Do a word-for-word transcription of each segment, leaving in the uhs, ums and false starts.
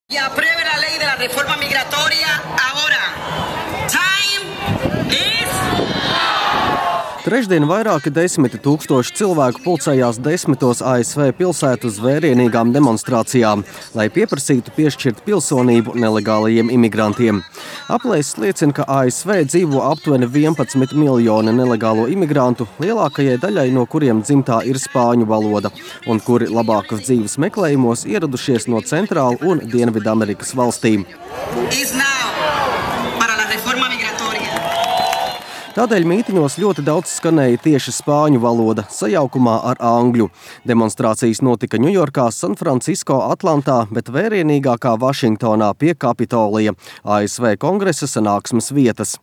Y apruebe la ley de la reforma migratoria ahora. Time is... Trešdien vairāki desmiti tūkstoši cilvēku pulcējās desmitos A S V pilsētu zvērienīgām demonstrācijām, lai pieprasītu piešķirt pilsonību nelegālajiem imigrantiem. Aplēses liecina, ka A S V dzīvo aptuveni vienpadsmit miljoni nelegālo imigrantu, lielākajai daļai no kuriem dzimtā ir spāņu valoda, un kuri labākas dzīves meklējumos ieradušies no Centrāla un Dienvidamerikas valstīm. Tādēļ mītiņos ļoti daudz skanēja tieši spāņu valoda, sajaukumā ar angļu. Demonstrācijas notika Ņujorkā, Sanfrancisko, Atlantā, bet vērienīgākā Vašingtonā pie Kapitolija, A S V kongresa sanāksmes vietas.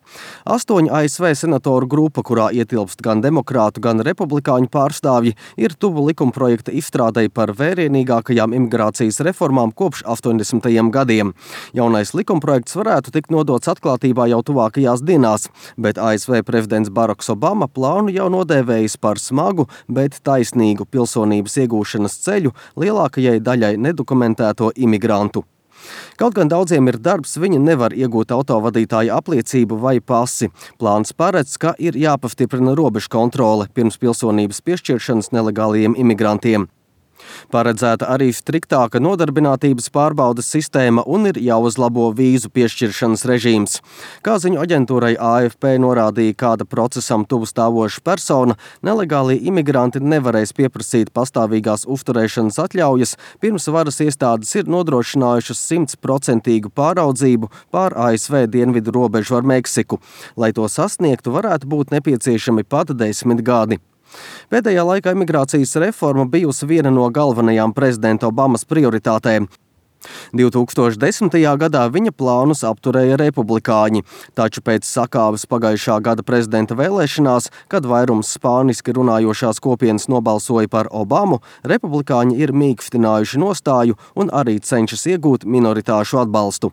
Astoņu A S V senatoru grupa, kurā ietilpst gan demokrātu, gan republikāņu pārstāvji, ir tuvu likumprojekta izstrādei par vērienīgākajām imigrācijas reformām kopš astoņdesmitajiem gadiem. Jaunais likumprojekts varētu tikt nodots atklātībā jau tuvākajās dienās, bet A S V prezidents Baraks Obama plānu jau nodēvējis par smagu, bet taisnīgu pilsonības iegūšanas ceļu lielākajai daļai nedokumentēto imigrantu. Kaut gan daudziem ir darbs, viņi nevar iegūt autovadītāja apliecību vai pasi. Plāns paredz, ka ir jāpastiprina robežu kontrole pirms pilsonības piešķiršanas nelegālajiem imigrantiem. Paredzēta arī striktāka nodarbinātības pārbaudes sistēma un ir jāuzlabo vīzu piešķiršanas režīms. Kā ziņu aģentūrai A F P norādīja kāda procesam tuvu stāvoša persona, nelegālie imigranti nevarēs pieprasīt pastāvīgās uzturēšanas atļaujas, pirms varas iestādes ir nodrošinājušas simtprocentīgu pāraudzību pār A S V dienvidu robežu ar Meksiku. Lai to sasniegtu, varētu būt nepieciešami pat desmit gadi. Pēdējā laikā imigrācijas reforma bijusi viena no galvenajām prezidenta Obamas prioritātēm. divtūkstoš desmitajā gadā viņa plānus apturēja republikāņi, taču pēc sakāves pagājušā gada prezidenta vēlēšanās, kad vairums spāniski runājošās kopienas nobalsoja par Obamu, republikāņi ir mīkstinājuši nostāju un arī cenšas iegūt minoritāšu atbalstu.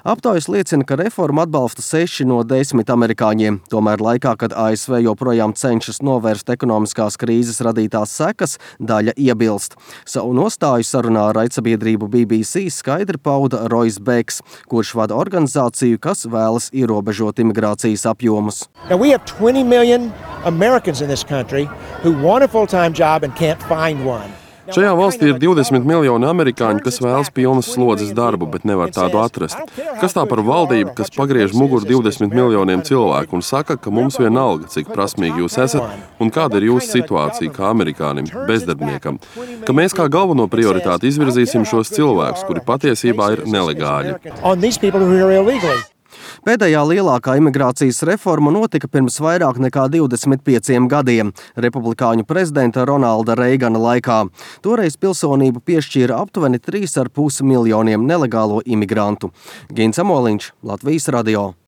Aptaujas liecina, ka reformu atbalsta seši no desmit amerikāņiem, tomēr laikā, kad A S V joprojām cenšas novērst ekonomiskās krīzes radītās sekas, daļa iebilst. Savu nostāju sarunā ar raidsabiedrību B B C skaidri pauda Rois Beks, kurš vada organizāciju, kas vēlas ierobežot imigrācijas apjomus. Now we have twenty million Americans in this country who want a full-time job and can't find one. Šajā valstī ir divdesmit miljoni amerikāņu, kas vēlas pilnas slodzes darbu, bet nevar tādu atrast. Kas tā par valdību, kas pagriež muguru divdesmit miljoniem cilvēku un saka, ka mums vienalga, cik prasmīgi jūs esat un kāda ir jūsu situācija kā amerikānim, bezdarbniekam, ka mēs kā galveno prioritāti izvirzīsim šos cilvēkus, kuri patiesībā ir nelegāļi. Pēdējā lielākā imigrācijas reforma notika pirms vairāk nekā divdesmit pieciem gadiem, republikāņu prezidenta Ronalda Reigana laikā. Toreiz pilsonību piešķīra aptuveni trīs ar pus miljoniem nelegālo imigrantu. Gins Amoliņš, Latvijas radio.